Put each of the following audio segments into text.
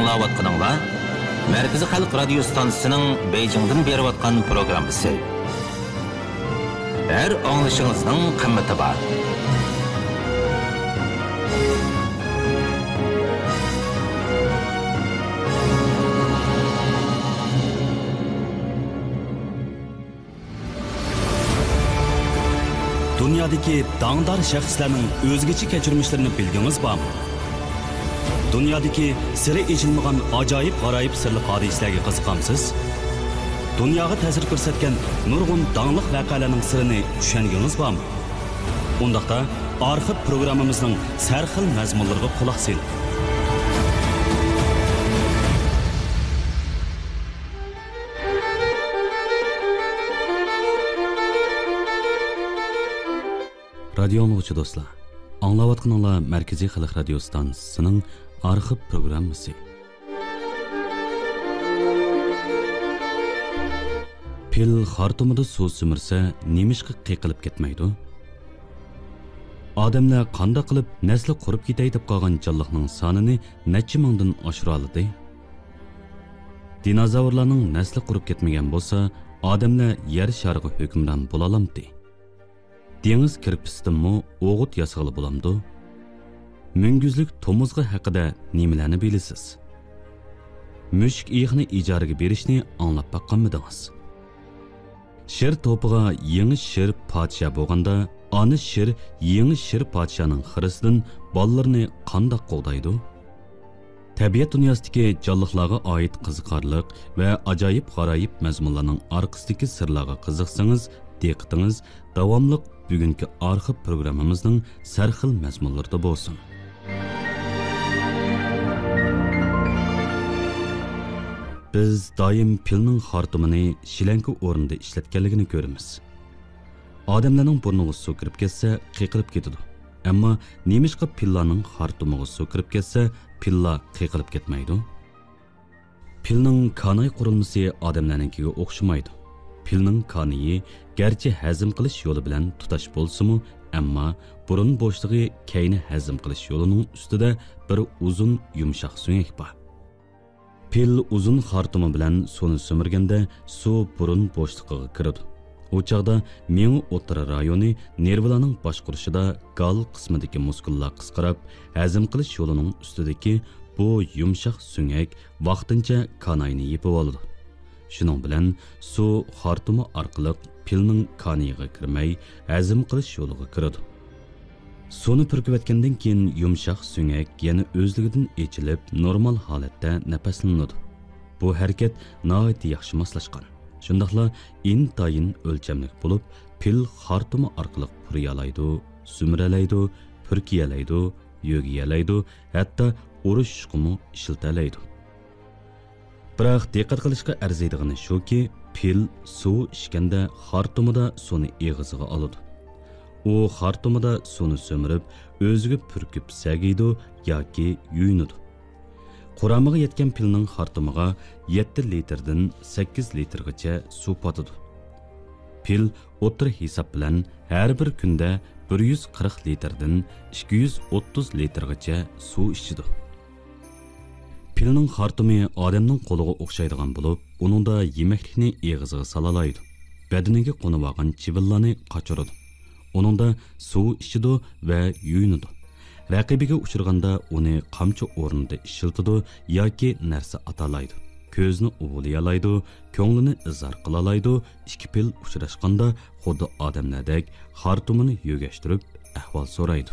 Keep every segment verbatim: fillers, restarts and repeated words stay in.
ئاڭلاۋاتقىنىڭلار مەركىزىي خەلق رادىيو ستانسىسىنىڭ بېيجىڭدىن بېرىۋاتقان پروگراممىسى. ھەر ئاڭلىشىڭىزنىڭ قىممىتى بار. دۇنيادىكى داڭدار شەخسلەرنىڭ ئۆزگىچە كەچۈرمىشلىرىنى بىلگىڭىز بارمۇ؟ دۇنيادىكى سىرى ئېچىلمىغان ئاجايىپ-غارايىپ سىرلىق ھادىسىلەرگە قىزىقامسىز؟ دۇنياغا تەسىر كۆرسەتكەن نۇرغۇن داڭلىق ۋەقەلەرنىڭ سىرىنى چۈشەنگىڭىز بارمۇ؟ ئۇنداقتا، ئارخىپ پروگراممىمىزنىڭ سەرخىل مەزمۇنلىرىغا قۇلاق سېلىڭ. رادىيو ئاڭلىغۇچى دوستلار، ئاڭلاۋاتقىنىڭلار مەركىزىي خەلق رادىيو ستانسىسىنىڭ ئارخىپ پروگراممىسى. پىل خارتۇمىدا سۇ سۈمۈرسە، نېمىشقا قېقىلىپ كەتمەيدۇ؟ ئادەملەر قانداق قىلىپ نەسلى قۇرۇپ كېتەي دەپ قالغان جانلىقنىڭ سانىنى نەچچە مىڭدىن ئاشۇرالىدى؟ دىنوزاۋرلارنىڭ نەسلى قۇرۇپ كەتمىگەن بولسا، ئادەملەر يەر شارىغا ھۆكۈمران بولالامتى؟ دېڭىز كىرپىسىدىنمۇ ئوغۇت ياسىغىلى بولامدۇ؟ مۈڭگۈزلۈك تومۇزغا ھەققىدە نېمىلەرنى بىلىسىز؟ مۈشۈك ئېيىقنى ئىجارىگە بېرىشنى ئاڭلاپ باققانمىدىڭىز؟ شىر توپىغا يېڭى شىر پادىشاھ بولغاندا، ئانا شىر يېڭى شىر پادىشاھنىڭ خىرىسىدىن بالىلىرىنى قانداق قوغدايدۇ؟ تەبىئەت دۇنياسىدىكى جانلىقلارغا ئائىت قىزىقارلىق ۋە ئاجايىپ-غارايىپ مەزمۇنلارنىڭ ئارقىسىدىكى سىرلارغا قىزىقسىڭىز، دىققىتىڭىز داۋاملىق بۈگۈنكى ئارخىپ پروگراممىمىزنىڭ سەرخىل مەزمۇنلىرىدا بولسۇن. بىز دائىم پىلنىڭ خارتۇمىنى شىلەڭكە ئورنىدا ئىشلەتكەنلىكىنى كۆرىمىز. ئادەملەرنىڭ بۇرنىغا سۇ كىرىپ كەتسە، قېقىلىپ كېتىدۇ. ئەمما نېمىشقا پىللانىڭ خارتۇمىغا سۇ كىرىپ كەتسە، پىللا قېقىلىپ كەتمەيدۇ؟ پىلنىڭ كاناي قۇرۇلمىسى ئادەملەرنىڭكىگە ئوخشىمايدۇ. پىلنىڭ كانىيى گەرچە ھەزىم قىلىش يولى بىلەن تۇتاش بولسىمۇ، ئەمما بۇرۇن بوشلۇقى كەينى ھەزىم قىلىش يولىنىڭ ئۈستىدە بىر ئۇزۇن يۇمشاق سۆڭەك بار. پىل ئۇزۇن خارتۇمى بىلەن سۇنى سۈمۈرگەندە، سۇ بۇرۇن بوشلۇقىغا كىرىدۇ. ئۇ چاغدا مېڭە ئوتتۇرا رايونى نېرۋىلارنىڭ باشقۇرۇشىدا گال قىسمىدىكى مۇسكۇللار قىسقىراپ، ھەزىم قىلىش يولىنىڭ ئۈستىدىكى بۇ يۇمشاق سۆڭەك ۋاقتىنچە كاناينى يېپىۋالىدۇ. شۇنىڭ بىلەن سۇ خارتۇمى ئارقىلىق پىلنىڭ كانىيىغا كىرمەي، ھەزىم قىلىش يولىغا كىرىدۇ. سۇنى پۈركۈۋەتكەندىن كېيىن، يۇمشاق سۆڭەك يەنە ئۆزلۈكىدىن ئېچىلىپ، نورمال ھالەتتە نەپەسلىنىدۇ. بۇ ھەرىكەت ناھايىتى ياخشى ماسلاشقان. شۇنداقلا ئىنتايىن ئۆلچەملىك بولۇپ، پىل خارتۇمى ئارقىلىق پۇرىيالايدۇ، سۈمۈرەلەيدۇ، پۈركىيەلەيدۇ، يۆگىيەلەيدۇ، ھەتتا ئۇرۇشۇشقىمۇ ئىشلىتەلەيدۇ. بىراق، دىققەت قىلىشقا ئەرزىيدىغىنى شۇكى، پىل سۇ ئىچكەندە خارتۇمىدا سۇنى ئېغىزىغا ئالىدۇ. ئۇ خارتۇمىدا سۇنى سۈمۈرۈپ، ئۆزىگە پۈركۈپ سەگىيدۇ ياكى يۇيۇنىدۇ. قۇرامىغا يەتكەن پىلنىڭ خارتۇمىغا يەتتە لىتىردىن سەككىز لىتىرغىچە سۇ پاتىدۇ. پىل ئوتتۇرا ھېساب بىلەن ھەر بىر كۈندە بىر يۈز قىرىق لىتىردىن ئىككى يۈز ئوتتۇز لىتىرغىچە سۇ ئىچىدۇ. پىلنىڭ خارتۇمى ئادەمنىڭ قولىغا ئوخشايدىغان بولۇپ، ئۇنىڭدا يېمەكلىكنى ئېغىزىغا سالالايدۇ، بەدىنىگە قونۇۋالغان چىۋىنلارنى قاچۇرىدۇ. ئۇنىڭدا سۇ ئىچىدۇ ۋە يۇيۇنىدۇ. رەقىبىگە ئۇچرىغاندا ئۇنى قامچا ئورنىدا ئىشلىتىدۇ ياكى نەرسە ئاتالايدۇ. كۆزىنى ئۇۋىلىيالايدۇ، كۆڭلىنى ئىزھار قىلالايدۇ، ئىككى پىل ئۇچراشقاندا خۇددى ئادەملەردەك خارتۇمىنى يۆگەشتۈرۈپ ئەھۋال سورايدۇ.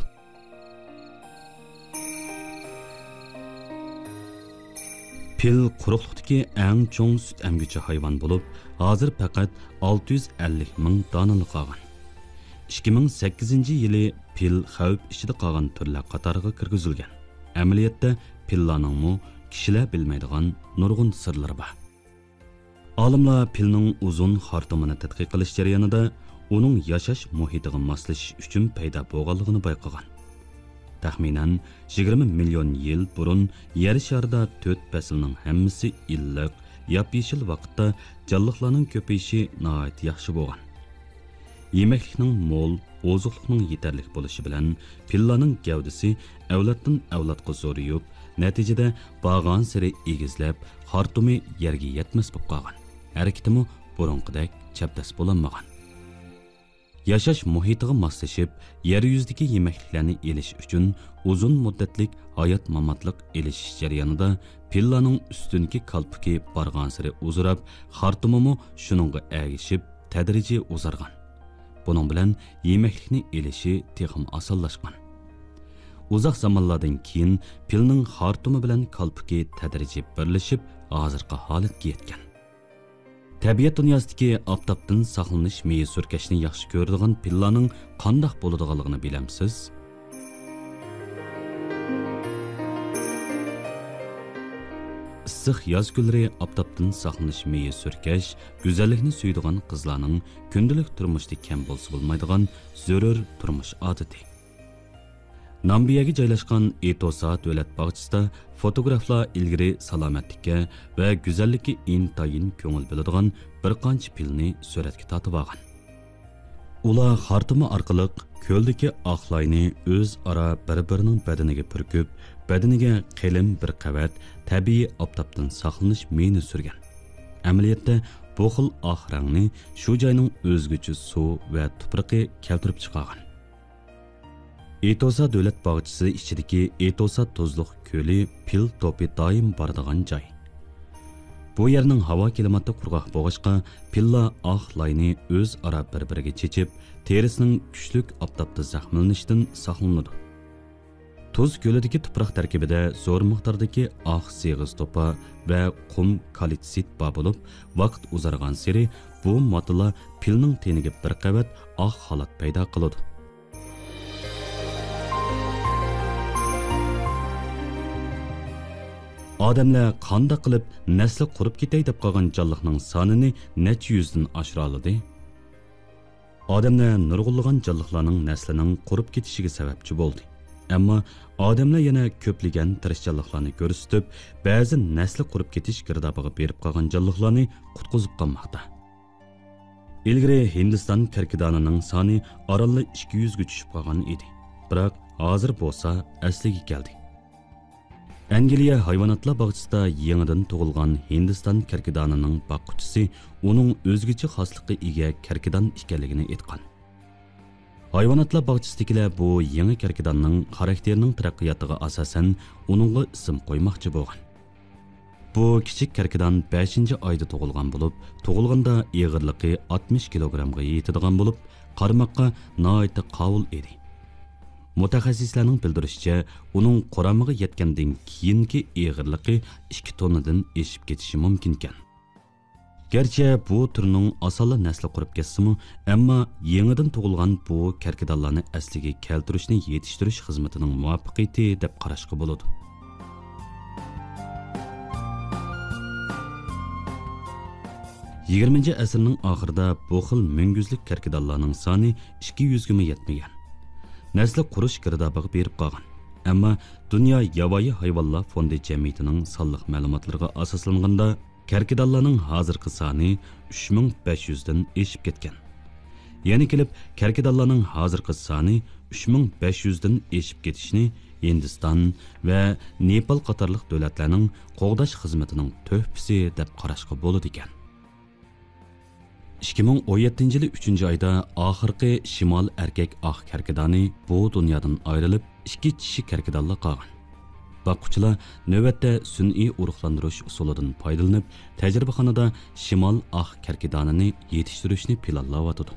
پىل قۇرۇقلۇقتىكى ئەڭ چوڭ سۈت ئەمگۈچى ھايۋان بولۇپ، ھازىر پەقەت ئالتە يۈز ئەللىك مىڭ دانىلا قالغان. ئىككى مىڭ سەككىزىنچى يىلى پىل خەۋپ ئىچىدە قالغان تۈرلەر قاتارىغا كىرگۈزۈلگەن. ئەمەلىيەتتە پىللارنىڭمۇ كىشىلەر بىلمەيدىغان نۇرغۇن سىرلىرى بار. ئالىملار پىلنىڭ ئۇزۇن خارتۇمىنى تەتقىق قىلىش جەريانىدا ئۇنىڭ ياشاش مۇھىتىغا ماسلىشىش ئۈچۈن پەيدا بولغانلىقىنى بايقىغان. تەخمىنەن يىگىرمە مىليون يىل بۇرۇن يەر شارىدا تۆت پەسىلنىڭ ھەممىسى ئىللىق، ياپيېشىل ۋاقىتتا جانلىقلارنىڭ كۆپىيىشى ناھايىتى ياخشى بولغان. يېمەكلىكنىڭ مول، ئوزۇقلۇقنىڭ يېتەرلىك بولۇشى بىلەن پىللارنىڭ گەۋدىسى ئەۋلادتىن ئەۋلادقا زورىيىپ، نەتىجىدە بارغانسېرى ئېگىزلەپ، خارتۇمى يەرگە يەتمەس بولۇپ قالغان. ھەرىكىتىمۇ بۇرۇنقىدەك چەبدەس بولالمىغان. ياشاش مۇھىتىغا ماسلىشىپ، يەر يۈزىدىكى يېمەكلىكلەرنى ئېلىش ئۈچۈن ئۇزۇن مۇددەتلىك ھايات-ماماتلىق ئېلىشىش جەريانىدا پىللانىڭ ئۈستۈنكى كالپۇكى بارغانسېرى ئۇزىراپ، خارتۇمىمۇ شۇنىڭغا ئەگىشىپ تەدرىجىي ئۇزارغان. بۇنىڭ بىلەن يېمەكلىكنى ئېلىشى تېخىمۇ ئاسانلاشقان. ئۇزاق زامانلاردىن كېيىن پىلنىڭ خارتۇمى بىلەن كالپۇكى تەدرىجىي بىرلىشىپ، ھازىرقى ھالەتكە يەتكەن. تەبىئەت دۇنياسىدىكى ئاپتاپتىن ساقلىنىش مېيى سۈركەشنى ياخشى كۆرىدىغان پىللانىڭ قانداق بولىدىغانلىقىنى بىلەمسىز؟ ئىسسىق ياز كۈنلىرى ئاپتاپتىن ساقلىنىش مېيى سۈركەش، گۈزەللىكنى سۆيىدىغان قىزلارنىڭ كۈندىلىك تۇرمۇشتا كەم بولسا بولمايدىغان زۆرۈر تۇرمۇش ئادىتى. نامبىيەگە جايلاشقان ئېتوسا دۆلەت باغچىسىدا فوتوگرافلار ئىلگىرى سالامەتلىككە ۋە گۈزەللىككە ئىنتايىن كۆڭۈل بۆلىدىغان بىر قانچە پىلنى سۈرەتكە تارتىۋالغان. ئۇلار خارتۇمى ئارقىلىق كۆلدىكى ئاق لاينى ئۆزئارا بىر-بىرىنىڭ بەدىنىگە پۈركۈپ، بەدىنىگە قېلىن بىر قەۋەت تەبىئىي ئاپتاپتىن ساقلىنىش مېيىنى سۈرگەن. ئەمەلىيەتتە بۇ خىل ئاق رەڭنى شۇ جاينىڭ ئۆزگىچە سۇ ۋە تۇپرىقى كەلتۈرۈپ چىقارغان. ئېتوسا دۆلەت باغچىسى ئىچىدىكى ئېتوسا تۇزلۇق كۆلى پىل توپى دائىم بارىدىغان جاي. بۇ يەرنىڭ ھاۋا كىلىماتى قۇرغاق بولغاچقا، پىللار ئاق لاينى ئۆزئارا بىر-بىرىگە چېچىپ، تېرىسىنىڭ كۈچلۈك ئاپتاپتا زەخىملىنىشىدىن ساقلىنىدۇ. تۇز كۆلىدىكى تۇپراق تەركىبىدە زور مىقداردىكى ئاق سېغىز توپا ۋە قۇم كالتسىت بار بولۇپ، ۋاقىت ئۇزارغانسېرى بۇ ماددىلار پىلنىڭ تېنىگە بىر قەۋەت ئاق خالات پەيدا قىلىدۇ. ئادەملەر قانداق قىلىپ نەسلى قۇرۇپ كېتەي دەپ قالغان جانلىقنىڭ سانىنى نەچچە يۈزدىن ئاشۇرالىدى؟ ئادەملەر نۇرغۇنلىغان جانلىقلارنىڭ نەسلىنىڭ قۇرۇپ كېتىشىگە سەۋەبچى بولدى. ئەمما ئادەملەر يەنە كۆپلىگەن تىرىشچانلىقلارنى كۆرسىتىپ، بەزى نەسلى قۇرۇپ كېتىش گىردابىغا بېرىپ قالغان جانلىقلارنى قۇتقۇزۇپ قالماقتا. ئىلگىرى ھىندىستان كەركىدانىنىڭ سانى ئارانلا ئىككى يۈزگە چۈشۈپ قالغان ئىدى. بىراق ھازىر بولسا ئەسلىگە كەلدى. ئەنگلىيە ھايۋاناتلار باغچىسىدا يېڭىدىن تۇغۇلغان ھىندىستان كەركىدانىنىڭ باققۇچىسى ئۇنىڭ ئۆزگىچە خاسلىققا ئىگە كەركىدان ئىكەنلىكىنى ئېيتقان. ھايۋاناتلار باغچىسىدىكىلەر بۇ يېڭى كەركىداننىڭ خاراكتېرىنىڭ تەرەققىياتىغا ئاساسەن ئۇنىڭغا ئىسىم قويماقچى بولغان. بۇ كىچىك كەركىدان بەشىنچى ئايدا تۇغۇلغان بولۇپ، تۇغۇلغاندا ئېغىرلىقى ئاتمىش كىلوگرامغا يېتىدىغان بولۇپ، قارىماققا ناھايىتى قاۋۇل ئىدى. مۇتەخەسسىسلەرنىڭ بىلدۈرۈشىچە، ئۇنىڭ قۇرامىغا يەتكەندىن كېيىنكى ئېغىرلىقى ئىككى توننىدىن ئېشىپ كېتىشى مۇمكىنكەن. گەرچە بۇ تۈرنىڭ ئاسانلا نەسلى قۇرۇپ كەتسىمۇ، ئەمما يېڭىدىن تۇغۇلغان بۇ كەركىدانلارنى ئەسلىگە كەلتۈرۈشنى يېتىشتۈرۈش خىزمىتىنىڭ مۇۋەپپەقىيىتى دەپ قاراشقا بولىدۇ. يىگىرمىنچى ئەسىرنىڭ ئاخىرىدا بۇ خىل مۈڭگۈزلۈك كەركىدانلارنىڭ سانى ئىككى يۈزگىمۇ يەتمىگەن. نەسلى قۇرۇش گىردابىغا بېرىپ قالغان. ئەمما دۇنيا ياۋايى ھايۋانلار فوندى جەمئىيىتىنىڭ سانلىق مەلۇماتلىرىغا ئاساسلانغاندا، كەركىدانلارنىڭ ھازىرقى سانى ئۈچ مىڭ بەش يۈزدىن ئېشىپ كەتكەن. يەنە كېلىپ، كەركىدانلارنىڭ ھازىرقى سانى ئۈچ مىڭ بەش يۈزدىن ئېشىپ كېتىشىنى ھىندىستان ۋە نېپال قاتارلىق دۆلەتلەرنىڭ قوغداش خىزمىتىنىڭ تۆھپىسى دەپ قاراشقا بولىدىكەن. ئىككى مىڭ ئون يەتتىنچى يىلى ئۈچىنچى ئايدا ئاخىرقى شىمال ئەركەك ئاق كەركىدانى بۇ دۇنيادىن ئايرىلىپ، ئىككى چىشى كەركىدانلا قالغان. باققۇچىلار نۆۋەتتە سۈنئىي ئۇرۇقلاندۇرۇش ئۇسۇلىدىن پايدىلىنىپ، تەجرىبىخانىدا شىمال ئاق كەركىدانىنى يېتىشتۈرۈشنى پىلانلاۋاتىدۇ.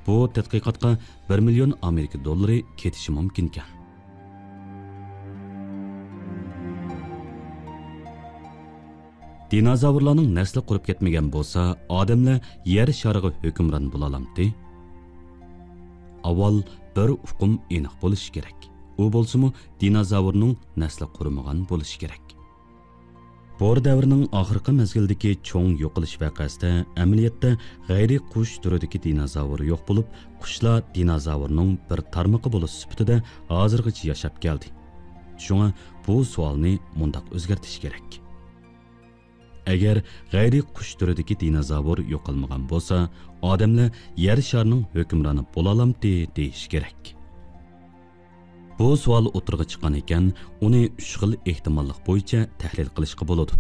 بۇ تەتقىقاتقا بىر مىليون ئامېرىكا دوللىرى كېتىشى مۇمكىنكەن. دىنوزاۋرلارنىڭ نەسلى قۇرۇپ كەتمىگەن بولسا، ئادەملەر يەر شارىغا ھۆكۈمران بولالامتى؟ ئاۋۋال بىر ئۇقۇم ئېنىق بولۇشى كېرەك. ئۇ بولسىمۇ دىنوزاۋرنىڭ نەسلى قۇرۇمىغان بولۇشى كېرەك. بور دەۋرىنىڭ ئاخىرقى مەزگىلدىكى چوڭ يوقىلىش ۋەقەسىدە ئەمەلىيەتتە غەيرىي قۇش تۈرىدىكى دىنوزاۋر يوق بولۇپ، قۇشلار دىنوزاۋرنىڭ بىر تارمىقى بولۇش سۈپىتىدە ھازىرغىچە ياشاپ كەلدى. شۇڭا بۇ سوئالنى مۇنداق ئۆزگەرتىش كېرەك. ئەگەر غەيرىي قۇش تۈرىدىكى دىنوزاۋر يوقالمىغان بولسا، ئادەملەر يەر شارىنىڭ ھۆكۈمرانى بولالامتى دېيىش كېرەك. بۇ سوئال ئوتتۇرىغا چىققان ئىكەن، ئۇنى ئۈچ خىل ئېھتىماللىق بويىچە تەھلىل قىلىشقا بولىدۇ.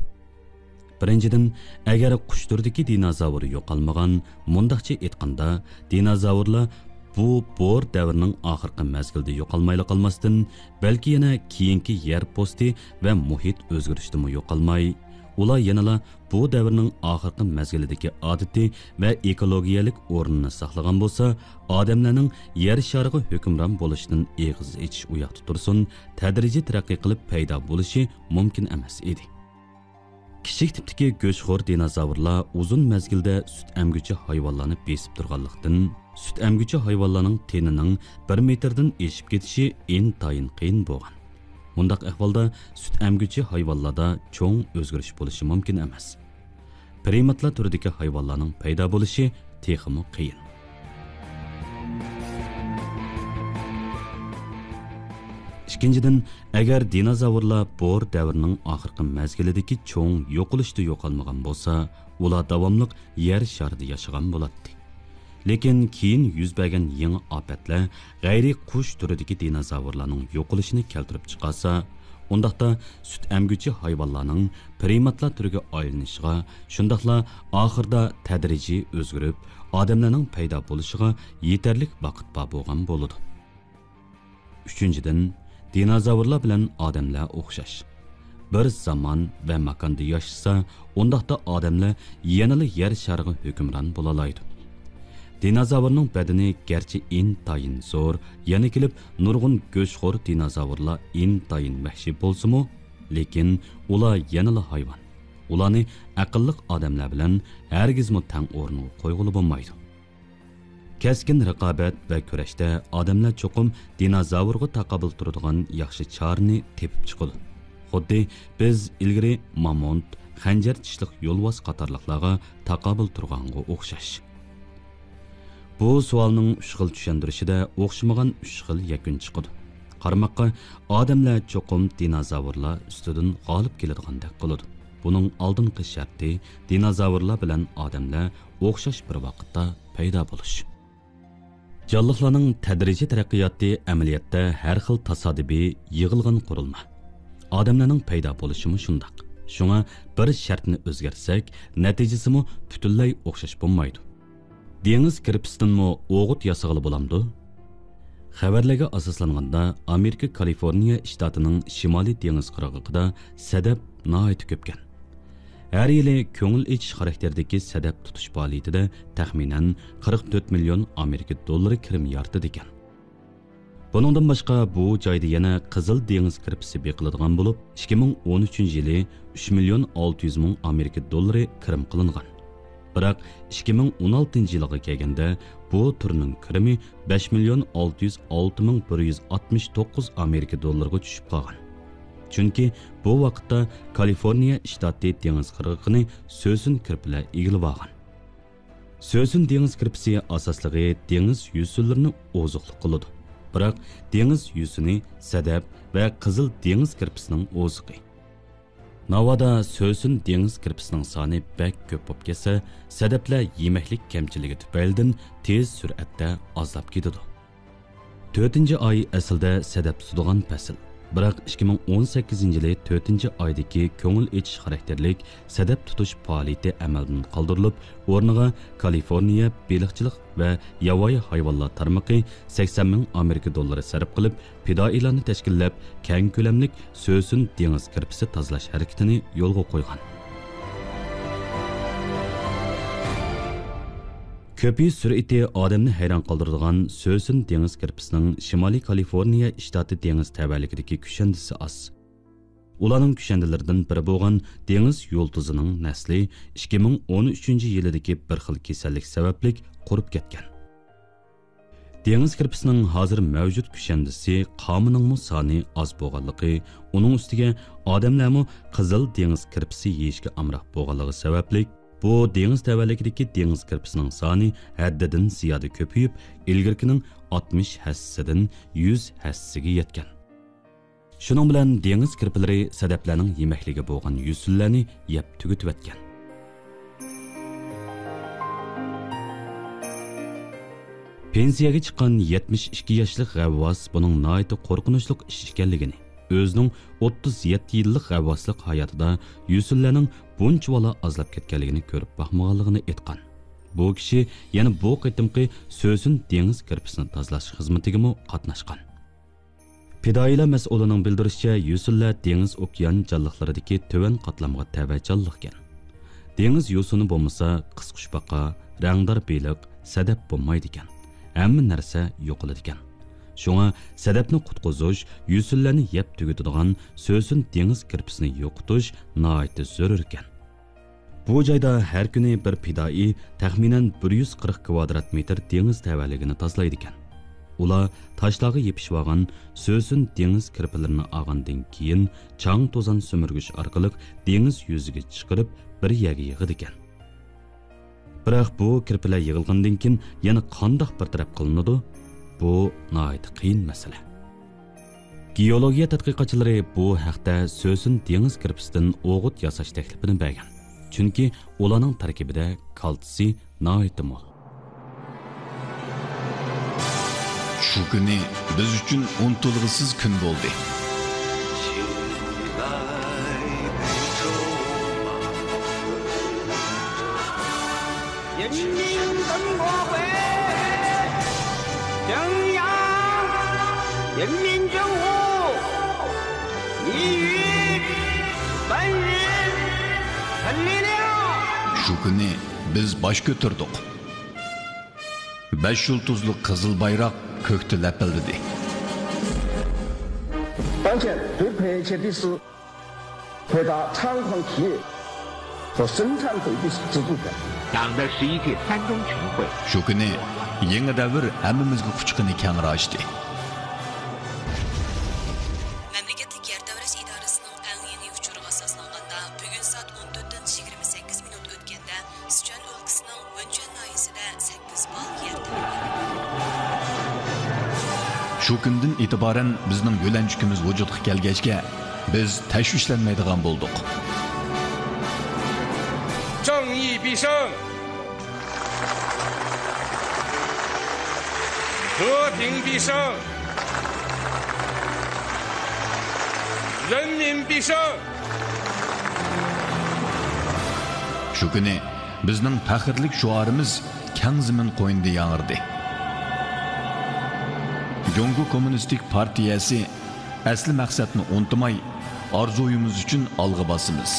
بىرىنچىدىن، ئەگەر قۇش تۈرىدىكى دىنوزاۋر يوقالمىغان، مۇنداقچە ئېيتقاندا، دىنوزاۋرلار بۇ بور دەۋرىنىڭ ئاخىرقى مەزگىلىدە يوقالمايلا قالماستىن، بەلكى يەنە كېيىنكى يەر پوستى ۋە مۇھىت ئۆزگىرىشتىمۇ يوقالماي، ئۇلار يەنىلا بۇ دەۋرنىڭ ئاخىرقى مەزگىلىدىكى ئادىتى ۋە ئېكولوگىيەلىك ئورنىنى ساقلىغان بولسا، ئادەملەرنىڭ يەر شارىغا ھۆكۈمران بولۇشىدىن ئېغىز ئېچىش ئۇ ياقتا تۇرسۇن، تەدرىجىي تەرەققىي قىلىپ پەيدا بولۇشى مۇمكىن ئەمەس ئىدى. كىچىك تىپتىكى گۆشخور دىنوزاۋرلار ئۇزۇن مەزگىلدە سۈت ئەمگۈچى ھايۋانلارنى بېسىپ تۇرغانلىقتىن، سۈت ئەمگۈچى ھايۋانلارنىڭ تېنىنىڭ بىر مېتىردىن ئېشىپ كېتىشى ئىنتايىن قىيىن بولغان. مۇنداق ئەھۋالدا سۈت ئەمگۈچى ھايۋانلاردا چوڭ ئۆزگىرىش بولۇشى مۇمكىن ئەمەس. پرىماتلار تۈرىدىكى ھايۋانلارنىڭ پەيدا بولۇشى تېخىمۇ قىيىن. ئىككىنچىدىن، ئەگەر دىنوزاۋرلار بور دەۋرىنىڭ ئاخىرقى مەزگىلىدىكى چوڭ يوقىلىشتا يوقالمىغان بولسا، ئۇلار داۋاملىق يەر شارىدا ياشىغان بولاتتى. لېكىن كېيىن يۈز بەرگەن يېڭى ئاپەتلەر غەيرىي قۇش تۈرىدىكى دىنوزاۋرلارنىڭ يوقىلىشىنى كەلتۈرۈپ چىقارسا، ئۇنداقتا سۈت ئەمگۈچى ھايۋانلارنىڭ پرىماتلار تۈرىگە ئايلىنىشىغا، شۇنداقلا ئاخىرىدا تەدرىجىي ئۆزگىرىپ، ئادەملەرنىڭ پەيدا بولۇشىغا يېتەرلىك ۋاقىت بار بولغان بولىدۇ. ئۈچىنچىدىن، دىنوزاۋرلار بىلەن ئادەملەر ئوخشاش. بىر زامان ۋە ماكاندا ياشىسا، ئۇنداقتا ئادەملەر يەنىلا يەر شارىغا ھۆكۈمران بولالايدۇ. دىنوزاۋرنىڭ بەدىنى گەرچە ئىنتايىن زور، يەنە كېلىپ نۇرغۇن گۆشخور دىنوزاۋرلار ئىنتايىن ۋەھشىي بولسىمۇ، لېكىن ئۇلار يەنىلا ھايۋان. ئۇلارنى ئەقىللىق ئادەملەر بىلەن ھەرگىزمۇ تەڭ ئورۇنغا قويغىلى بولمايدۇ. كەسكىن رىقابەت ۋە كۈرەشتە ئادەملەر چوقۇم دىنوزاۋرغا تاقابىل تۇرىدىغان ياخشى چارىنى تېپىپ چىقىدۇ. خۇددى بىز ئىلگىرى مامونت، خەنجەر چىشلىق يولۋاس قاتارلىقلارغا تاقابىل تۇرغانغا ئوخشاش. بۇ سوئالنىڭ ئۈچ خىل چۈشەندۈرۈشىدە ئوخشىمىغان ئۈچ خىل يەكۈن چىقىدۇ. قارىماققا، ئادەملەر چوقۇم دىنوزاۋرلار ئۈستىدىن غالىب كېلىدىغاندەك قىلىدۇ. بۇنىڭ ئالدىنقى شەرتى دىنوزاۋرلار بىلەن ئادەملەر ئوخشاش بىر ۋاقىتتا پەيدا بولۇش. جانلىقلارنىڭ تەدرىجىي تەرەققىياتى ئەمەلىيەتتە ھەر خىل تاسادىپىي يىغىلغان قۇرۇلما. ئادەملەرنىڭ پەيدا بولۇشىمۇ شۇنداق. شۇڭا بىر شەرتنى ئۆزگەرتسەك، نەتىجىسىمۇ پۈتۈنلەي ئوخشاش بولمايدۇ. دېڭىز كىرپىسىدىنمۇ ئوغۇت ياسىغىلى بولامدۇ؟ خەۋەرلەرگە ئاساسلانغاندا، ئامېرىكا كالىفورنىيە شتاتىنىڭ شىمالىي دېڭىز قىرغىقىدا سەدەپ ناھايىتى كۆپكەن. ھەر يىلى كۆڭۈل ئېچىش خاراكتېرىدىكى سەدەپ تۇتۇش پائالىيىتىدە تەخمىنەن قىرىق تۆت مىليون ئامېرىكا دوللىرى كىرىم يارىتىدىكەن. بۇنىڭدىن باشقا، بۇ جايدا يەنە قىزىل دېڭىز كىرپىسى بېقىلىدىغان بولۇپ، ئىككى مىڭ ئون ئۈچىنچى يىلى ئۈچ مىليون ئالتە يۈز مىڭ ئامېرىكا دوللىرى كىرىم قىلىنغان. بىراق، ئىككى مىڭ ئون ئالتىنچى يىلغا كەلگەندە، بۇ تۈرنىڭ كىرىمى بەش مىليون ئالتە يۈز ئالتە مىڭ بىر يۈز ئاتمىش توققۇز ئامېرىكا دوللىرىغا چۈشۈپ قالغان. چۈنكى بۇ ۋاقىتتا كالىفورنىيە شتاتى دېڭىز قىرغىقىنى سۆسۈن كىرپىلەر ئىگىلىۋالغان. سۆسۈن دېڭىز كىرپىسى ئاساسلىقى دېڭىز يۈسۈنلىرىنى ئوزۇقلۇق قىلىدۇ. بىراق، دېڭىز يۈسۈنى سەدەپ ۋە قىزىل دېڭىز كىرپىسىنىڭ ئوزۇقى. ناۋادا سۆسۈن دېڭىز كىرپىسىنىڭ سانى بەك كۆپ بولۇپ كەتسە، سەدەپلەر يېمەكلىك كەمچىلىكى تۈپەيلىدىن تېز سۈرئەتتە ئازلاپ كېتىدۇ. تۆتىنچى ئاي ئەسلىدە سەدەپ تۇتىدىغان پەسىل. بىراق، ئىككى مىڭ ئون سەككىزىنچى يىلى تۆتىنچى ئايدىكى كۆڭۈل ئېچىش خاراكتېرلىك سەدەپ تۇتۇش پائالىيىتى ئەمەلدىن قالدۇرۇلۇپ، ئورنىغا كالىفورنىيە بېلىقچىلىق ۋە ياۋايى ھايۋانلار تارمىقى سەكسەن مىڭ ئامېرىكا دوللىرى سەرپ قىلىپ، پىدائىيلارنى تەشكىللەپ، كەڭ كۆلەملىك سۆسۈن دېڭىز كىرپىسى تازىلاش ھەرىكىتىنى يولغا قويغان. كۆپىيىش سۈرئىتى ئادەمنى ھەيران قالدۇرىدىغان سۆسۈن دېڭىز كىرپىسىنىڭ شىمالىي كالىفورنىيە شتاتى دېڭىز تەۋەلىكىدىكى كۈشەندىسى ئاز. ئۇلارنىڭ كۈشەندىلىرىدىن بىرى بولغان دېڭىز يۇلتۇزىنىڭ نەسلى ئىككى مىڭ ئون ئۈچىنچى يىلىدىكى بىر خىل كېسەللىك سەۋەبلىك قۇرۇپ كەتكەن. دېڭىز كىرپىسىنىڭ ھازىر مەۋجۇت كۈشەندىسى قامىنىڭمۇ سانى ئاز بولغانلىقى، ئۇنىڭ ئۈستىگە ئادەملەرمۇ قىزىل دېڭىز كىرپىسى يېيىشكە ئامراق بولغانلىقى سەۋەبلىك، بۇ دېڭىز تەۋەلىكىدىكى دېڭىز كىرپىسىنىڭ سانى ھەددىدىن زىيادە كۆپىيىپ، ئىلگىرىكىنىڭ ئاتمىش ھەسسىسىدىن يۈز ھەسسىگە يەتكەن. شۇنىڭ بىلەن دېڭىز كىرپىلىرى سەدەپلەرنىڭ يېمەكلىكى بولغان يۈسۈنلەرنى يەپ تۈگىتىۋەتكەن. پېنسىيەگە چىققان يەتمىش ئىككى ياشلىق غەۋۋاس بۇنىڭ ناھايىتى قورقۇنچلۇق ئىش ئىكەنلىكىنى، ئۆزىنىڭ ئوتتۇز يەتتە يىللىق غەۋۋاسلىق ھاياتىدا يۈسۈنلەرنىڭ بۇنچىۋالا ئازلاپ كەتكەنلىكىنى كۆرۈپ باقمىغانلىقىنى ئېيتقان. بۇ كىشى يەنە بۇ قېتىمقى سۆسۈن دېڭىز كىرپىسىنى تازىلاش خىزمىتىگىمۇ قاتناشقان. پىدائىيلار مەسئۇلىنىڭ بىلدۈرۈشىچە، يۈسۈنلەر دېڭىز ئوكيان جانلىقلىرىدىكى تۆۋەن قاتلامغا تەۋە جانلىقكەن. دېڭىز يوسۇنى بولمىسا، قىسقۇچپاقا، رەڭدار بېلىق، سەدەپ بولمايدىكەن. ھەممە نەرسە يوقىلىدىكەن. شۇڭا سەدەپنى قۇتقۇزۇش، يۈسۈنلەرنى يەپ تۈگىتىدىغان سۆسۈن دېڭىز كىرپىسىنى يوقىتىش ناھايىتى زۆرۈركەن. بۇ جايدا ھەر كۈنى بىر پىدائىي تەخمىنەن بىر يۈز قىرىق كۋادرات مېتىر دېڭىز تەۋەلىكىنى تازىلايدىكەن. ئۇلار تاشلارغا يېپىشىۋالغان سۆسۈن دېڭىز كىرپىلىرىنى ئالغاندىن كېيىن، چاڭ توزان سۈمۈرگۈچ ئارقىلىق دېڭىز يۈزىگە چىقىرىپ، بىر يەرگە يىغىدىكەن. بىراق بۇ كىرپىلەر يىغىلغاندىن كېيىن يەنە قانداق بىر تەرەپ قىلىنىدۇ؟ بۇ ناھايىتى قىيىن مەسىلە. گېئولوگىيە تەتقىقاتچىلىرى بۇ ھەقتە سۆسۈن دېڭىز كىرپىسىدىن ئوغۇت ياساش تەكلىپىنى بەرگەن، چۈنكى ئۇلارنىڭ تەركىبىدە كالتسىي ناھايىتى مول. شۇ كۈنى بىز ئۈچۈن ئۇنتۇلغۇسىز كۈن بولدى. شۇ كۈنى بىز باش كۆتۈردۇق. بەش يۇلتۇزلۇق قىزىل بايراق كۆكتە لەپىلدىدى. 当前最迫切的是 回答猖狂企业和生产回归制度的。党的十一届三中全会。 شۇ كۈنى يېڭى دەۋر ھەممىمىزگە قۇچىقىنى كەڭرى ئاچتى. مەملىكەتلىك يەر تەۋرەش ئىدارىسىنىڭ ئەڭ يېڭى ئۇچۇرىغا ئاساسلانغاندا، بۈگۈن سائەت ئون تۆتتىن يىگىرمە سەككىز مىنۇت ئۆتكەندە، سىچۈەن ئۆلكىسىنىڭ ۋېنچۈەن ناھىيەسىدە سەككىز بال يەر تەۋرىدى. شۇ كۈندىن ئېتىبارەن بىزنىڭ يۆلەنچۈكىمىز ۋۇجۇدقا كەلگەچكە، بىز تەشۋىشلەنمەيدىغان بولدۇق. 正义必胜！和平必胜！人民必胜！ شۇ كۈنى بىزنىڭ پەخىرلىك شوئارىمىز كەڭ زېمىن قوينىدا ياڭرىدى. جۇڭگو كوممۇنىستىك پارتىيەسى ئەسلى مەقسەتنى ئۇنتۇماي، ئارزۇيىمىز ئۈچۈن ئالغا باسىمىز.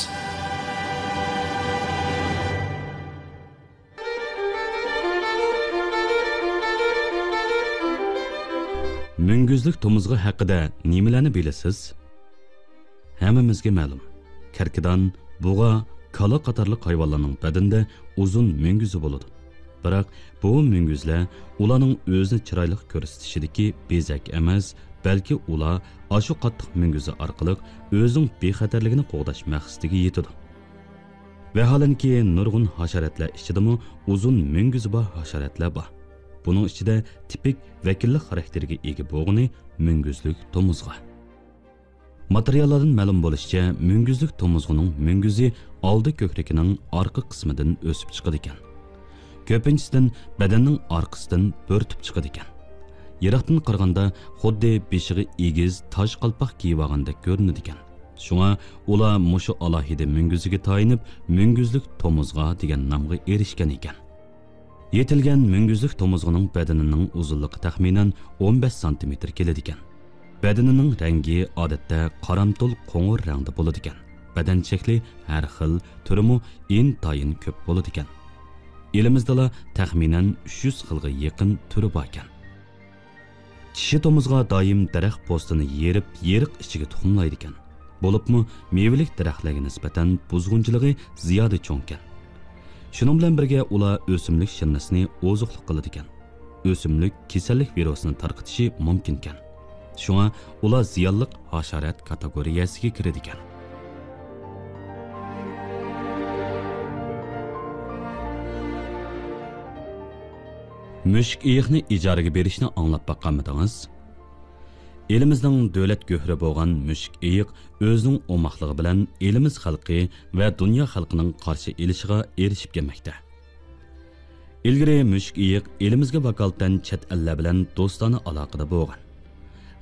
مۈڭگۈزلۈك تومۇزغا ھەققىدە نېمىلەرنى بىلىسىز؟ ھەممىمىزگە مەلۇم، كەركىدان، بۇغا، كالا قاتارلىق ھايۋانلارنىڭ بەدىنىدە ئۇزۇن مۈڭگۈزى بولىدۇ. بىراق بۇ مۈڭگۈزلەر ئۇلارنىڭ ئۆزىنى چىرايلىق كۆرسىتىشىدىكى بېزەك ئەمەس، بەلكى ئۇلار ئاشۇ قاتتىق مۈڭگۈزى ئارقىلىق ئۆزىنىڭ بىخەتەرلىكىنى قوغداش مەقسىتىگە يېتىدۇ. ۋەھالەنكى، نۇرغۇن ھاشاراتلار ئىچىدىمۇ ئۇزۇن مۈڭگۈزى بار ھاشاراتلار بار. بۇنىڭ ئىچىدە تىپىك ۋەكىللىك خاراكتېرىگە ئىگە بولغىنى مۈڭگۈزلۈك تومۇزغا. ماتېرىياللاردىن مەلۇم بولۇشىچە، مۈڭگۈزلۈك تومۇزغىنىڭ مۈڭگۈزى ئالدى كۆكرىكىنىڭ ئارقا قىسمىدىن ئۆسۈپ چىقىدىكەن. كۆپىنچىسىدىن بەدەننىڭ ئارقىسىدىن بۆرتۈپ چىقىدىكەن. يىراقتىن قارىغاندا خۇددى بېشىغا ئېگىز تاج قالپاق كىيىۋالغاندەك كۆرۈنىدىكەن. شۇڭا ئۇلار مۇشۇ ئالاھىدە مۈڭگۈزىگە تايىنىپ، مۈڭگۈزلۈك تومۇزغا دېگەن نامغا ئېرىشكەن ئىكەن. يېتىلگەن مۈڭگۈزلۈك تومۇزغىنىڭ بەدىنىنىڭ ئۇزۇنلۇقى تەخمىنەن ئون بەش سانتىمېتىر كېلىدىكەن. بەدىنىنىڭ رەڭگى ئادەتتە قارامتۇل قوڭۇر رەڭدە بولىدىكەن. بەدەن شەكلى ھەر خىل، تۈرىمۇ ئىنتايىن كۆپ بولىدىكەن. ئېلىمىزدىلا تەخمىنەن ئۈچ يۈز خىلغا يېقىن تۈرى باركەن. چىشى تومۇزغا دائىم دەرەخ پوستىنى يېرىپ، يېرىق ئىچىگە تۇخۇملايدىكەن. بولۇپمۇ مېۋىلىك دەرەخلەرگە نىسبەتەن بۇزغۇنچىلىقى زىيادە چوڭكەن. شۇنىڭ بىلەن بىرگە ئۇلار ئۆسۈملۈك شىرنىسىنى ئوزۇقلۇق قىلىدىكەن. ئۆسۈملۈك كېسەللىك ۋىرۇسىنى تارقىتىشى مۇمكىنكەن. شۇڭا ئۇلار زىيانلىق ھاشارات كاتېگورىيەسىگە كىرىدىكەن. مۈشۈك ئېيىقنى ئىجارىگە بېرىشنى ئاڭلاپ باققانمىدىڭىز؟ ئېلىمىزنىڭ دۆلەت گۆھىرى بولغان مۈشۈك ئېيىق ئۆزىنىڭ ئوماقلىقى بىلەن ئېلىمىز خەلقى ۋە دۇنيا خەلقىنىڭ قارشى ئېلىشىغا ئېرىشىپ كەلمەكتە. ئىلگىرى مۈشۈك ئېيىق ئېلىمىزگە ۋاكالىتەن چەت ئەللەر بىلەن دوستانە ئالاقىدە بولغان.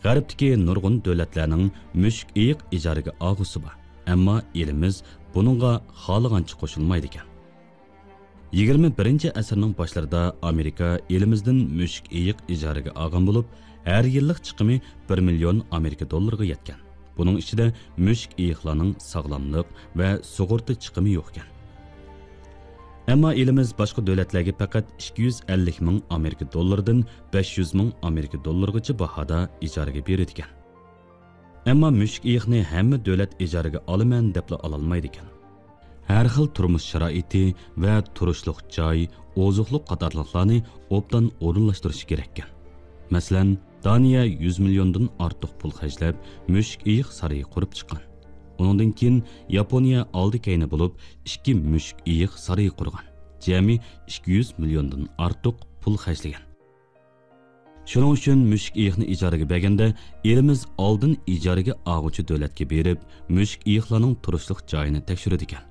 غەربتىكى نۇرغۇن دۆلەتلەرنىڭ مۈشۈك ئېيىق ئىجارىگە ئالغۇسى بار، ئەمما ئېلىمىز بۇنىڭغا خالىغانچە قوشۇلمايدىكەن. يىگىرمە بىرىنچى ئەسىرنىڭ باشلىرىدا ئامېرىكا ئېلىمىزدىن مۈشۈك ئېيىق ئىجارىگە ئالغان بولۇپ، ھەر يىللىق چىقىمى بىر مىليون ئامېرىكا دوللىرىغا يەتكەن. بۇنىڭ ئىچىدە مۈشۈك ئېيىقلارنىڭ ساغلاملىق ۋە سۇغۇرتا چىقىمى يوقكەن. ئەمما ئېلىمىز باشقا دۆلەتلەرگە پەقەت ئىككى يۈز ئەللىك مىڭ ئامېرىكا دوللىرىدىن بەش يۈز مىڭ ئامېرىكا دوللىرىغىچە باھادا ئىجارىگە بېرىدىكەن. ئەمما مۈشۈك ئېيىقنى ھەممە دۆلەت ئىجارىگە ئالىمەن دەپلا ئالالمايدىكەن. ھەر خىل تۇرمۇش شارائىتى ۋە تۇرۇشلۇق جاي، ئوزۇقلۇق قاتارلىقلارنى ئوبدان ئورۇنلاشتۇرۇشى كېرەككەن. مەسىلەن، دانىيە يۈز مىليوندىن ئارتۇق پۇل خەجلەپ، مۈشۈك ئېيىق سارىيى قۇرۇپ چىققان. ئۇنىڭدىن كېيىن ياپونىيە ئالدى كەينى بولۇپ، ئىككى مۈشۈك ئېيىق سارىيى قۇرغان. جەمئىي ئىككى يۈز مىليوندىن ئارتۇق پۇل خەجلىگەن. شۇنىڭ ئۈچۈن مۈشۈك ئېيىقنى ئىجارىگە بەرگەندە، ئېلىمىز ئالدىن ئىجارىگە ئالغۇچى دۆلەتكە بېرىپ، مۈشۈك ئېيىقلارنىڭ تۇرۇشلۇق جايىنى تەكشۈرىدىكەن.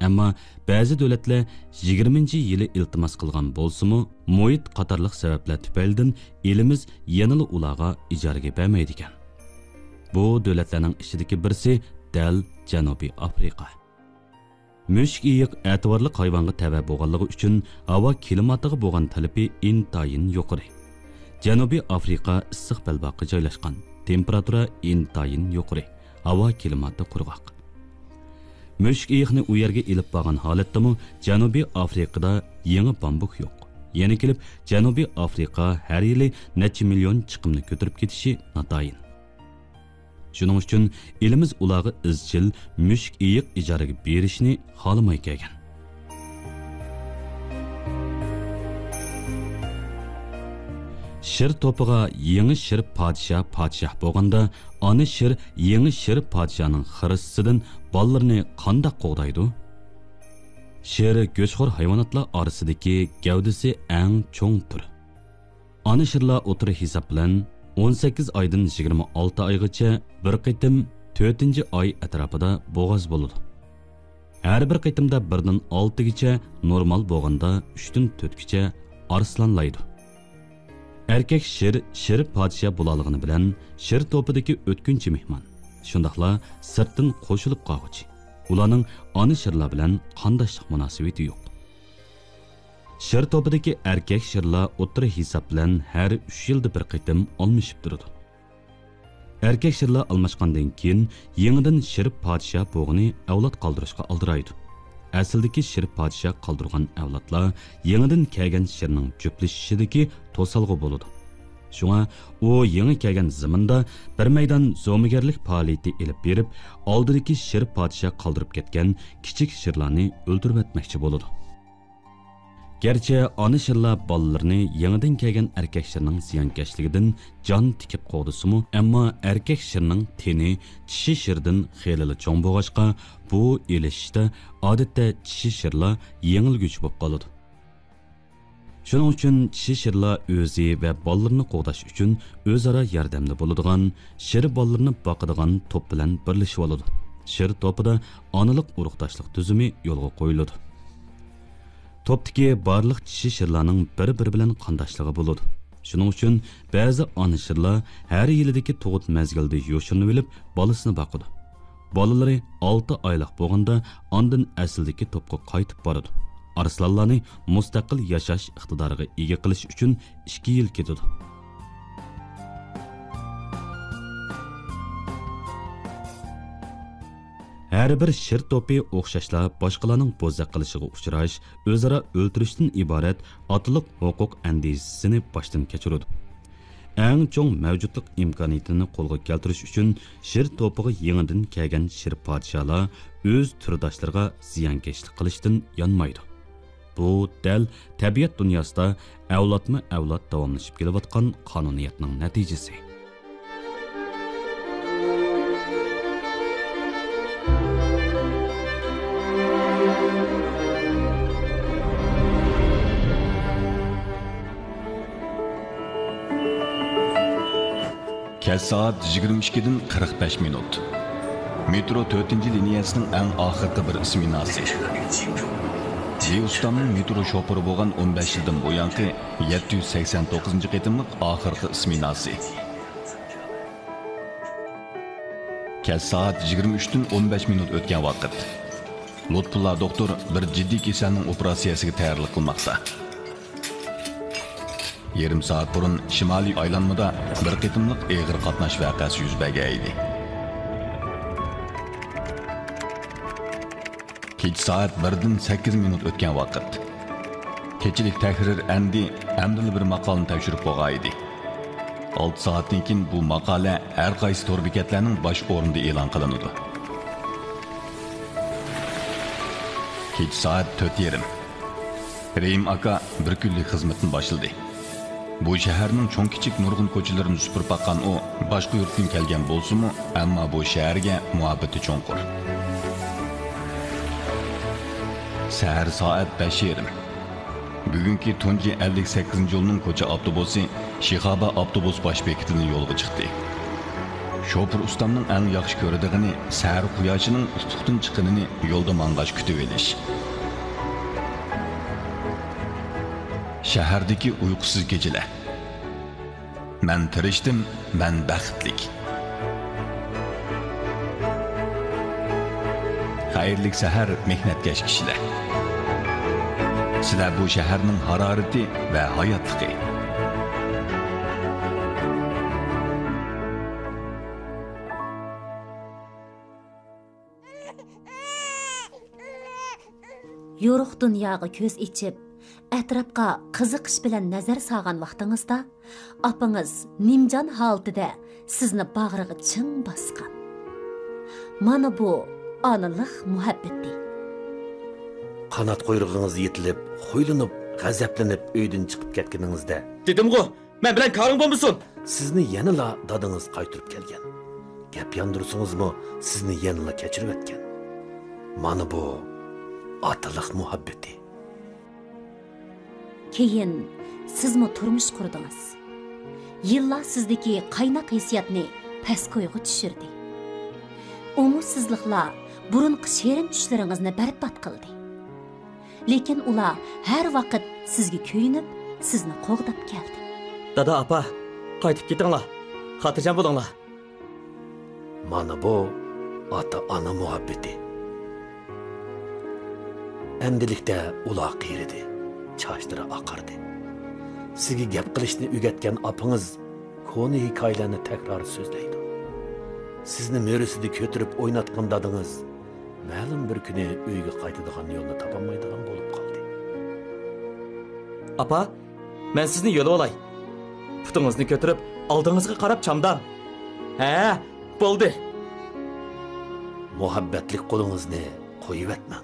ئەمما بەزى دۆلەتلەر يىگىرمىنچى يىلى ئىلتىماس قىلغان بولسىمۇ، مۇھىت قاتارلىق سەۋەبلەر تۈپەيلىدىن ئېلىمىز يەنىلا ئۇلارغا ئىجارىگە بەرمەيدىكەن. بۇ دۆلەتلەرنىڭ ئىچىدىكى بىرسى دەل جەنۇبىي ئافرىقا. مۈشۈك ئېيىق ئەتىۋارلىق ھايۋانغا تەۋە بولغانلىقى ئۈچۈن، ھاۋا كىلىماتىغا بولغان تەلىپى ئىنتايىن يۇقىرى. جەنۇبىي ئافرىقا ئىسسىق بەلباغقا جايلاشقان، تېمپېراتۇرا ئىنتايىن يۇقىرى، ھاۋا كىلىماتى قۇرغاق. مۈشۈك ئېيىقنى ئۇ يەرگە ئېلىپ بارغان ھالەتتىمۇ، جەنۇبىي ئافرىقىدا يېڭى بامبۇك يوق. يەنە كېلىپ، جەنۇبىي ئافرىقا ھەر يىلى نەچچە مىليون چىقىمنى كۆتۈرۈپ كېتىشى ناتايىن. شۇنىڭ ئۈچۈن ئېلىمىز ئۇلارغا ئىزچىل مۈشۈك ئېيىق ئىجارىگە بېرىشنى خالىماي كەلگەن. شىر توپىغا يېڭى شىر پادىشاھ پادىشاھ بولغاندا، ئانا شىر يېڭى شىر پادىشاھنىڭ خىرىسىدىن بالىلىرىنى قانداق قوغدايدۇ؟ شىر گۆشخور ھايۋاناتلار ئارىسىدىكى گەۋدىسى ئەڭ چوڭ تۈر. ئانا شىرلار ئوتتۇرا ھېساب بىلەن ئون سەككىز ئايدىن يىگىرمە ئالتە ئايغىچە بىر قېتىم تۆتىنچى ئاي ئەتراپىدا بوغاز بولىدۇ. ھەر بىر قېتىمدا بىردىن ئالتىگىچە، نورمال بولغاندا ئۈچتىن تۆتكىچە ئارسلانلايدۇ. ئەركەك شىر، شىر پادىشاھ بولالىغىنى بىلەن شىر توپىدىكى ئۆتكۈنچى مېھمان، شۇنداقلا سىرتتىن قوشۇلۇپ قالغۇچى. ئۇلارنىڭ ئانا شىرلار بىلەن قانداشلىق مۇناسىۋىتى يوق. شىر توپىدىكى ئەركەك شىرلار ئوتتۇرا ھېساب بىلەن ھەر ئۈچ يىلدا بىر قېتىم ئالمىشىپ تۇرىدۇ. ئەركەك شىرلار ئالماشقاندىن كېيىن، يېڭىدىن شىر پادىشاھ بوغىنى ئەۋلاد قالدۇرۇشقا ئالدىرايدۇ. ئەسلىدىكى شىر پادىشاھ قالدۇرغان ئەۋلادلار يېڭىدىن كەلگەن شىرنىڭ جۈپلىشىشىدىكى توسالغۇ بولىدۇ. شۇڭا ئۇ يېڭى كەلگەن زېمىندا بىر مەيدان زومىگەرلىك پائالىيىتى ئېلىپ بېرىپ، ئالدىدىكى شىر پادىشاھ قالدۇرۇپ كەتكەن كىچىك شىرلارنى ئۆلتۈرۈۋەتمەكچى بولىدۇ. گەرچە ئانا شىرلار بالىلىرىنى يېڭىدىن كەلگەن ئەركەك شىرنىڭ زىيانكەشلىكىدىن جان تىكىپ قوغدىسىمۇ، ئەمما ئەركەك شىرنىڭ تېنى چىشى شىردىن خېلىلا چوڭ بولغاچقا، بۇ ئېلىشىشتا ئادەتتە چىشى شىرلار يېڭىلگۈچى بولۇپ قالىدۇ. شۇنىڭ ئۈچۈن چىشى شىرلار ئۆزى ۋە بالىلىرىنى قوغداش ئۈچۈن ئۆزئارا ياردەمدە بولىدىغان، شىر بالىلىرىنى باقىدىغان توپ بىلەن بىرلىشىۋالىدۇ. شىر توپىدا ئانىلىق ئۇرۇقداشلىق تۈزۈمى يولغا قويۇلىدۇ. توپتىكى بارلىق چىشى شىرلارنىڭ بىر-بىرى بىلەن قانداشلىقى بولىدۇ. شۇنىڭ ئۈچۈن بەزى ئانا شىرلار ھەر يىلىدىكى تۇغۇت مەزگىلىدە يوشۇرۇنۇۋېلىپ بالىسىنى باقىدۇ. بالىلىرى ئالتە ئايلىق بولغاندا ئاندىن ئەسلىدىكى توپقا قايتىپ بارىدۇ. ئارسلانلارنى مۇستەقىل ياشاش ئىقتىدارىغا ئىگە قىلىش ئۈچۈن ئىككى يىل كېتىدۇ. ھەر بىر شىر توپى ئوخشاشلا باشقىلارنىڭ بوزەك قىلىشىغا ئۇچراش، ئۆزئارا ئۆلتۈرۈشتىن ئىبارەت ئاتىلىق ھوقۇق ئەندىزىسىنى باشتىن كەچۈرىدۇ. ئەڭ چوڭ مەۋجۇتلۇق ئىمكانىيىتىنى قولغا كەلتۈرۈش ئۈچۈن شىر توپىغا يېڭىدىن كەلگەن شىر پادىشاھلار ئۆز تۈرداشلىرىغا زىيانكەشلىك قىلىشتىن يانمايدۇ. بۇ دەل تەبىئەت دۇنياسىدا ئەۋلادمۇ ئەۋلاد داۋاملىشىپ كېلىۋاتقان قانۇنىيەتنىڭ نەتىجىسى. كەچ سائەت يىگىرمە ئىككىدىن قىرىق بەش مىنۇت. مېترو تۆتىنچى لىنىيەسىنىڭ ئەڭ ئاخىرقى بىر سمېناسى. جى ئۇستامنىڭ مېترو شوپۇرى بولغان ئون بەش يىلدىن بۇيانقى يەتتە يۈز سەكسەن توققۇزىنچى قېتىملىق ئاخىرقى ئىسمېناسى. كەچ سائەت يىگىرمە ئۈچتىن ئون بەش مىنۇت ئۆتكەن ۋاقىت. لۇتپۇللا دوختۇر بىر جىددىي كېسەلنىڭ ئوپېراتسىيەسىگە تەييارلىق قىلماقتا. يېرىم سائەت بۇرۇن شىمالىي ئايلانمىدا بىر قېتىملىق ئېغىر قاتناش ۋەقەسى يۈز بەرگەن ئىدى. كېچە سائەت بىردىن سەككىز مىنۇت ئۆتكەن ۋاقىت. كېچىلىك تەھرىر ئەندى ئەمدىلا بىر ماقالىنى تەكشۈرۈپ بولغان ئىدى. ئالتە سائەتتىن كېيىن بۇ ماقالە ھەر قايسى تور بېكەتلەرنىڭ باش ئورنىدا ئېلان قىلىنىدۇ. كېچە سائەت تۆت يېرىم. رېھىم ئاكا بىر كۈنلۈك خىزمىتىنى باشلىدى. بۇ شەھەرنىڭ چوڭ-كىچىك نۇرغۇن كوچىلىرىنى سۈپۈرۈپ باققان ئۇ، باشقا يۇرتتىن كەلگەن بولسىمۇ، ئەمما بۇ شەھەرگە مۇھەببىتى چوڭقۇر. سەھەر سائەت بەش يېرىم. بۈگۈنكى تۇنجى ئەللىك سەككىزىنچى يولنىڭ كوچا ئاپتوبۇسى شىخابا ئاپتوبۇس باش بېكىتىدىن يولغا چىقتى. شوپۇر ئۇستامنىڭ ئەڭ ياخشى كۆرىدىغىنى سەھەر قۇياشىنىڭ ئۇپۇقتىن چىققىنىنى يولدا ماڭغاچ كۈتۈۋېلىش. شەھەردىكى ئۇيقۇسىز كېچىلەر. مەن تىرىشتىم، مەن بەختلىك. خەيرلىك سەھەر، مېھنەتكەش كىشىلەر. سىلەر بۇ شەھەرنىڭ ھارارىتى ۋە ھاياتلىقى. يورۇق دۇنياغا كۆز ئېچىپ، ئەتراپقا قىزىقىش بىلەن نەزەر سالغان ۋاقتىڭىزدا، ئاپىڭىز نىمجان ھالىتىدە سىزنى باغرىغا چىڭ باسقان. مانا بۇ ئانىلىق مۇھەببىتى. قانات قۇيرۇقىڭىز يېتىلىپ، خۇيلىنىپ، غەزەپلىنىپ ئۆيدىن چىقىپ كەتكىنىڭىزدە، دېدىمغۇ، مەن بىلەن كارىڭ بولمىسۇن! سىزنى يەنىلا دادىڭىز قايتۇرۇپ كەلگەن. گەپ ياندۇرسىڭىزمۇ، سىزنى يەنىلا كەچۈرۈۋەتكەن. مانا بۇ ئاتىلىق مۇھەببىتى. كېيىن سىزمۇ تۇرمۇش قۇردىڭىز. يىللار سىزدىكى قايناق ھېسسىياتنى پەسكويغا چۈشۈردى. ئوڭۇشسىزلىقلار بۇرۇنقى شېرىن چۈشلىرىڭىزنى بەربات قىلدى. لېكىن ئۇلار ھەر ۋاقىت سىزگە كۆيۈنۈپ، سىزنى قوغداپ كەلدى. دادا، ئاپا، قايتىپ كېتىڭلار. خاتىرجەم بولۇڭلار. مانا بۇ ئاتا-ئانا مۇھەببىتى. ئەمدىلىكتە ئۇلار قېرىدى، چاچلىرى ئاقاردى. سىزگە گەپ قىلىشنى ئۆگەتكەن ئاپىڭىز كونا ھېكايىلەرنى تەكرار سۆزلەيدۇ. سىزنى مۈرىسىدە كۆتۈرۈپ ئويناتقان دادىڭىز مەلۇم بىر كۈنى ئۆيگە قايتىدىغان يولنى تاپالمايدىغان بولۇپ قالدى. ئاپا، مەن سىزنى يۆلىۋالاي. پۇتىڭىزنى كۆتۈرۈپ، ئالدىڭىزغا قاراپ چامداڭ. ھە، بولدى. مۇھەببەتلىك قولىڭىزنى قويۇۋەتمەڭ.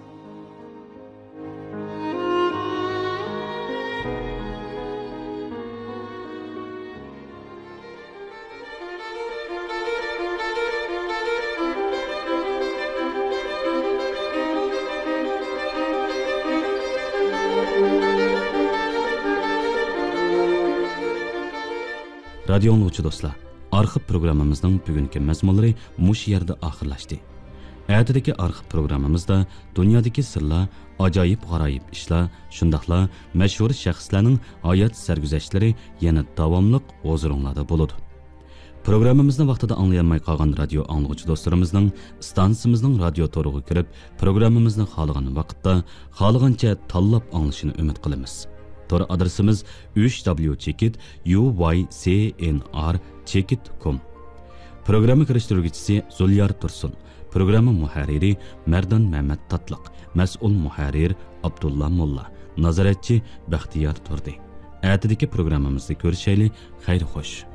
رادىيو ئاڭلىغۇچى دوستلار، ئارخىپ پروگراممىمىزنىڭ بۈگۈنكى مەزمۇنلىرى مۇشۇ يەردە ئاخىرلاشتى. ئەتىدىكى ئارخىپ پروگراممىمىزدا دۇنيادىكى سىرلار، ئاجايىپ-غارايىپ ئىشلار، شۇنداقلا مەشھۇر شەخسلەرنىڭ ھايات سەرگۈزەشتلىرى يەنە داۋاملىق ھۇزۇرۇڭلاردا بولىدۇ. پروگراممىمىزنى ۋاقتىدا ئاڭلىيالماي قالغان رادىيو ئاڭلىغۇچى دوستلىرىمىزنىڭ ئىستانسىمىزنىڭ رادىيو تورىغا كىرىپ، پروگراممىمىزنى خالىغان ۋاقىتتا، خالىغانچە تاللاپ ئاڭلىشىنى ئۈمىد قىلىمىز. تور ئادرېسىمىز ئۈچ دابليۇ چېكىت يۇ ۋاي سى ئېن ئار چېكىت كوم. پروگرامما كىرىشتۈرگۈچىسى زۇليار تۇرسۇن. پروگرامما مۇھەررىرى مەردان مەمەت تاتلىق، مەسئۇل مۇھەررىر ئابدۇللا موللا، نازارەتچى بەختىيار تۇردى. ئەتىدىكى پروگراممىمىزدا كۆرۈشەيلى، خەير خوش.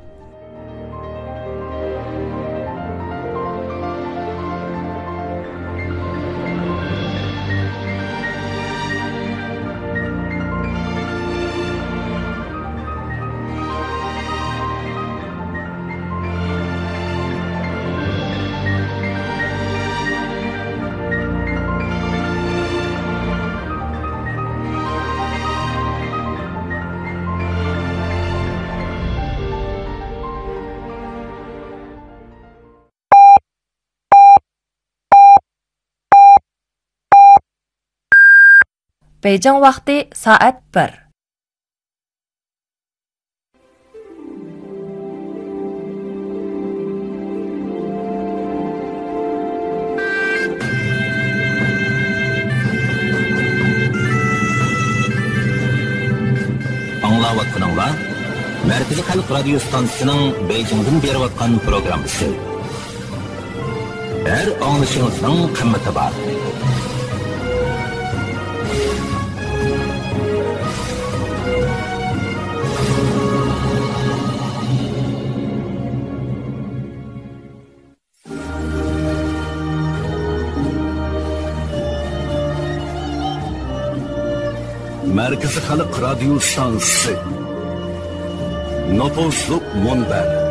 بېيجىڭ ۋاقتى سائەت بىر. ئاڭلاۋاتقىنىڭلار مەركىزىي خەلق رادىيو ستانسىسىنىڭ بېيجىڭدىن بېرىۋاتقان پروگراممىسى. ھەر ئاڭلىشىڭىزنىڭ قىممىتى بار. مەركىزىي خەلق رادىيو ستانسىسى. نوپۇزلۇق مۇنبەر.